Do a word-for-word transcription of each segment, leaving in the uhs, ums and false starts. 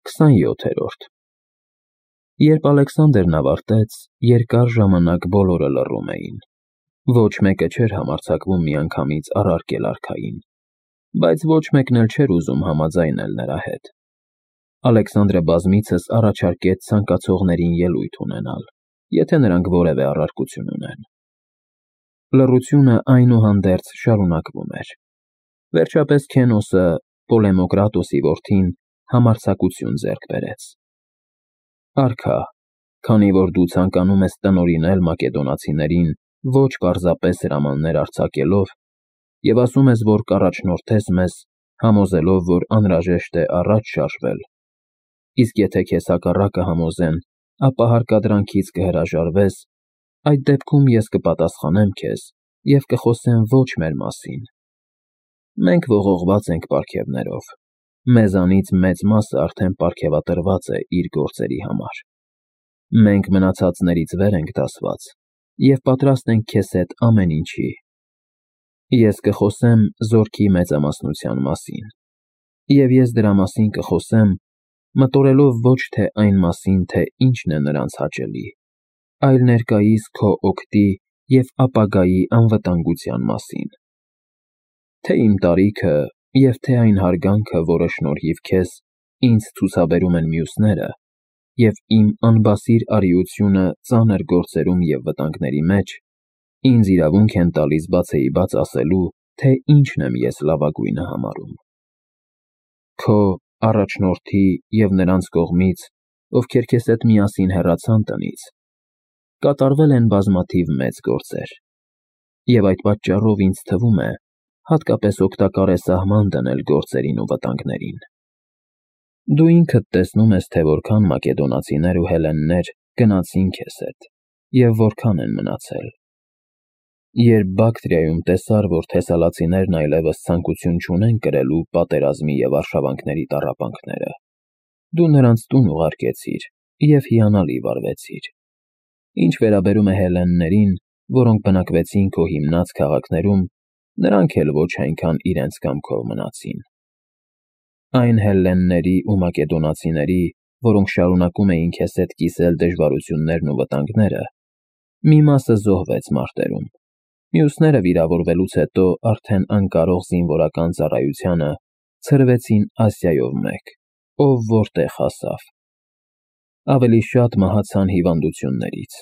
քսանյոթերորդ Երբ Ալեքսանդրն ավարտեց, երկար ժամանակ բոլորը լռում էին, ոչ մեկը չէր համարձակվում միանգամից առարկել արքային, բայց ոչ մեկն էլ չէր ուզում համաձայնել նրա հետ։ Ալեքսանդրը բազմիցս առաջարկեց ցանկացողներին ելույթ ունենալ, եթե նրանք որևէ առարկություն ունեն։ Լռությունը այնուհանդերձ շարունակվում էր։ Վերջապես Քենոսը, Պոլեմոկրատոսի որդին, համարձակություն ձեռք բերեց. Արքա, քանի որ դու ցանկանում ես տնօրինել մակեդոնացիներին ոչ պարզապես հրամաններ արձակելով և ասում ես, որ կառաջնորդես մեզ, համոզելով, որ անհրաժեշտ է առաջ շարժվել, իսկ եթե քեզ հակառակը համոզեն, ապա հարկադրանքից կհրաժարվես, այդ դեպքում ես կպատասխանեմ քեզ և կխոսեմ ոչ մեր մասին։ Մենք ողողված ենք պարգևներով, մեզանից մեծ մասը արդեն պարգևատրված է իր գործերի համար։ Մենք մնացածներից վեր ենք դասված և պատրաստ ենք քեզ հետ ամեն ինչի։ Ես կխոսեմ զորքի մեծամասնության մասին, և ես դրա մասին կխոսեմ, մտորելով ոչ թե այն մասին, թե ինչն է նրանց հաճելի, այլ ներկայիս քո օգտի և ապագայի անվտանգության մասին։ Թե իմ տարիքը և թե այն հարգանքը, որը շնորհիվ քեզ ինձ ցուցաբերում են մյուսները, և իմ անբասիր արիությունը ծանր գործերում և վտանգների մեջ, ինձ իրավունք են տալիս բացեիբաց ասելու, թե ինչն եմ ես լավագույնը համարում։ Քո, առաջնորդի և նրանց կողմից, ովքեր քեզ հետ միասին հեռացան տնից, կատարվել են բազմաթիվ մեծ գործեր, և այդ պատճառով ինձ թվում է, հատկապես օգտակար է սահման դնել գործերին ու վտանգներին։ Դու ինքդ տեսնում ես, թե որքան մակեդոնացիներ ու հելլեններ գնացին քեզ հետ և որքան են մնացել։ Երբ Բակտրիայում տեսար, որ թեսալացիներն այլևս ցանկություն չունեն կրելու պատերազմի և արշավանքների տառապանքները, դու նրանց տուն ուղարկեցիր և հիանալի վարվեցիր։ Ինչ վերաբերում է հելլեններին, որոնք բնակվեցին քո հիմնած քաղաքներում, նրանք էլ ոչ այնքան իրենց կամքով մնացին։ Այն հելլենների ու մակեդոնացիների, որոնք շարունակում էին քեզ հետ կիսել դժվարություններն ու վտանգները, մի մասը զոհվեց մարտերում, մյուսները վիրավորվելուց հետո արդեն անկարող զինվորական ծառայությանը ցրվեցին Ասիայով մեկ, ով որտեղ հասավ։ Ավելի շատ մահացան հիվանդություններից,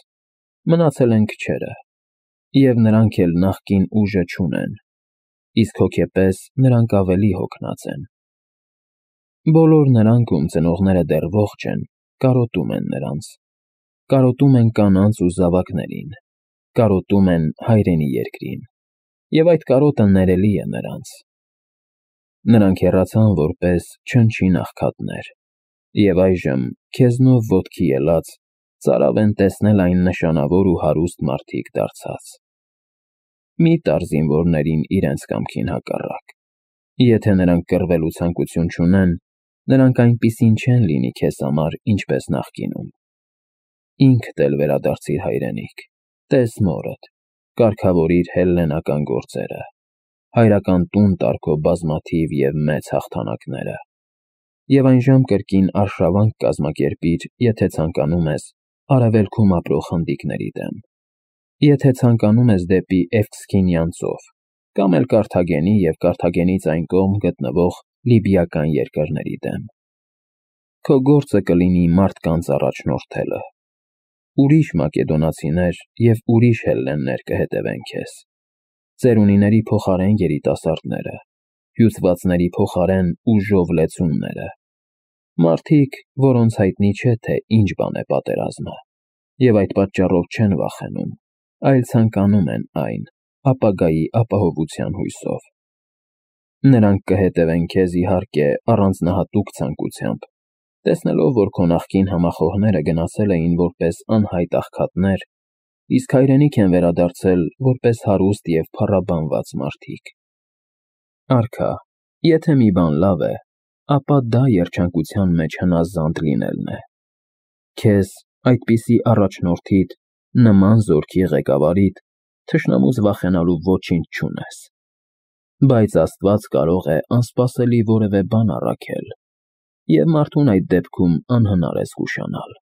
մնացել են քչերը, և նրանք էլ նախկին ուժը չունեն, իսկ հոգեպես նրանք ավելի հոգնած են։ Բոլոր նրանք, ում ծնողները դեռ ողջ են, կարոտում են նրանց, կարոտում են կանանց ու զավակներին, կարոտում են հայրենի երկրին, և այդ կարոտը ներելի է նրանց։ Նրանք հեռացան որպես չնչին աղքատներ, և այժմ, քեզնով ոտքի ելած, ծարավ են տեսնել այն նշանավոր ու հարուստ մարդիկ դարձած։ Մի տար զինվորներին իրենց կամքին հակառակ։ Եթե նրանք կռվելու ցանկություն չունեն, նրանք այնպիսին չեն լինի քեզ համար, ինչպես նախկինում։ Ինքդ էլ վերադարձիր հայրենիք, տես մորդ, կարգավորիր հելլենական գործերը, հայրական տուն տար քո բազմաթիվ և մեծ հաղթանակները, և այնժամ կրկին արշավանք կազմակերպիր, եթե ցանկանում ես, արևելքում ապրող խնդիկների դեմ, եթե ցանկանում ես դեպի Էվքսինյան ծով, կամ էլ Կարթագենի և Կարթագենից այն կողմ գտնվող լիբիական երկրների դեմ։ Քո գործը կլինի մարդկանց առաջնորդելը։ Ուրիշ մակեդոնացիներ և ուրիշ հելլեններ կհետևեն քեզ, ծերունիների փոխարեն երիտասարդները, հյուծվածների փոխարեն ուժով լեցունները, մարդիկ, որոնց հայտնի չէ, թե ինչ բան է պատերազմը, և այդ պատճառով չեն վախենում, այլ ցանկանում են այն, ապագայի ապահովության հույսով։ Նրանք կհետևեն քեզ, իհարկե, առանձնահատուկ ցանկությամբ, տեսնելով, որ քո նախկին համախոհները գնացել էին որպես անհայտ աղքատներ, իսկ հայրենիք են վերադարձել որպես հարուստ և փառաբանված մարդիկ։ Արքա, եթե մի բան լավ է, ապա դա երջանկության մեջ հնազանդ լինելն է։ Քեզ, այդպիսի առաջնորդիդ, նման զորքի ղեկավարիդ, թշնամուց վախենալու ոչինչ չունես։ Բայց Աստված կարող է անսպասելի որևէ բան առաքել։ և մարդուն այդ դեպքում անհնար է զգուշանալ։